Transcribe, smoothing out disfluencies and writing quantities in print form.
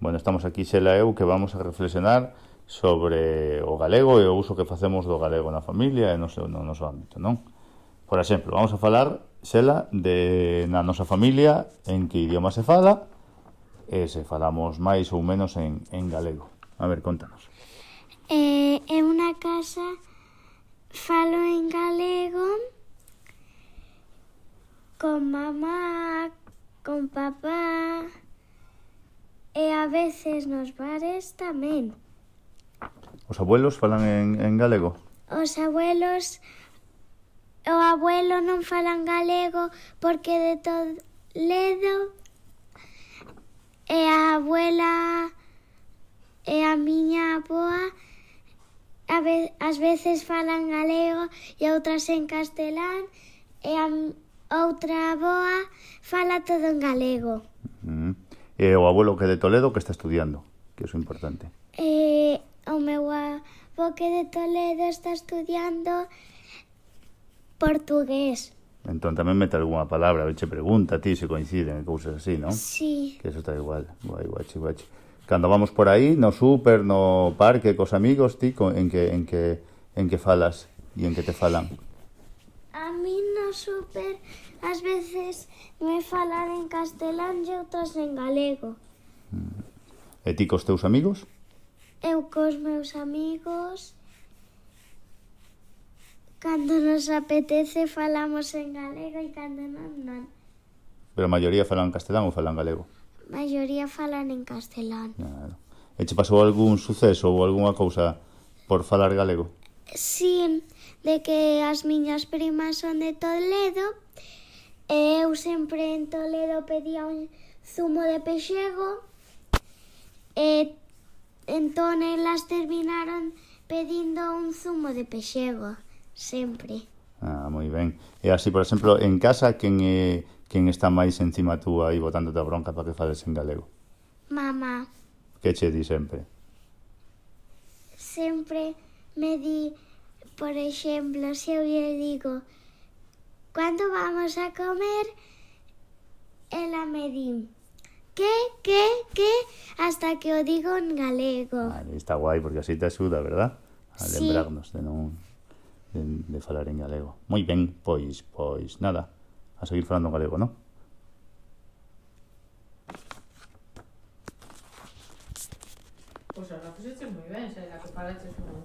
Bueno, estamos aquí Xela e eu que vamos a reflexionar sobre o galego e o uso que facemos do galego na familia e no noso ámbito, non? Por exemplo, vamos a falar, Xela, de na nosa familia en que idioma se fala e se falamos máis ou menos en galego. A ver, contanos. En unha casa falo en galego con mamá, con papá e a veces nos bares tamén. Os abuelos falan en galego? Os abuelos, o abuelo non falan galego porque de Toledo e a abuela e a miña avoa ás veces falan galego e outras en castelán e a outra avoa fala todo en galego. E o abuelo que é de Toledo que está estudiando, que é importante. O meu avó que de Toledo está estudiando portugués. Entón tamén mete algunha palabra, che pregunta a ti se coinciden e cousas así, non? Sí. Que eso está igual, guai, guachi. Cando vamos por aí, no súper, no parque, cos amigos, ti, en que falas e en que te falan? A mí no súper ás veces me falan en castelán e outras en galego. E ti cos teus amigos? Eu cos meus amigos, cando nos apetece falamos en galego e cando non. Pero a maioría falan castelán ou falan galego? A maioría falan en castelán. Claro. E che pasou algún suceso ou algunha cousa por falar galego? Sí, de que as miñas primas son de Toledo e eu sempre en Toledo pedía un zumo de pexego e entón elas terminaron pedindo un zumo de pexego, sempre. Moi ben. E así, por exemplo, en casa, quen está máis encima túa aí botándote a bronca para que fales en galego? Mamá. Que che di sempre? Sempre me di, por exemplo, se eu lle digo "Cando vamos a comer?", ela me di que, hasta que o digo en galego. Vale, está guai, porque así te axuda, verdad? A Sí. lembrarnos de falar en galego. Moi ben, pois nada, a seguir falando en galego, non? Pois ahora fixeches moi ben, Xela, que falaches un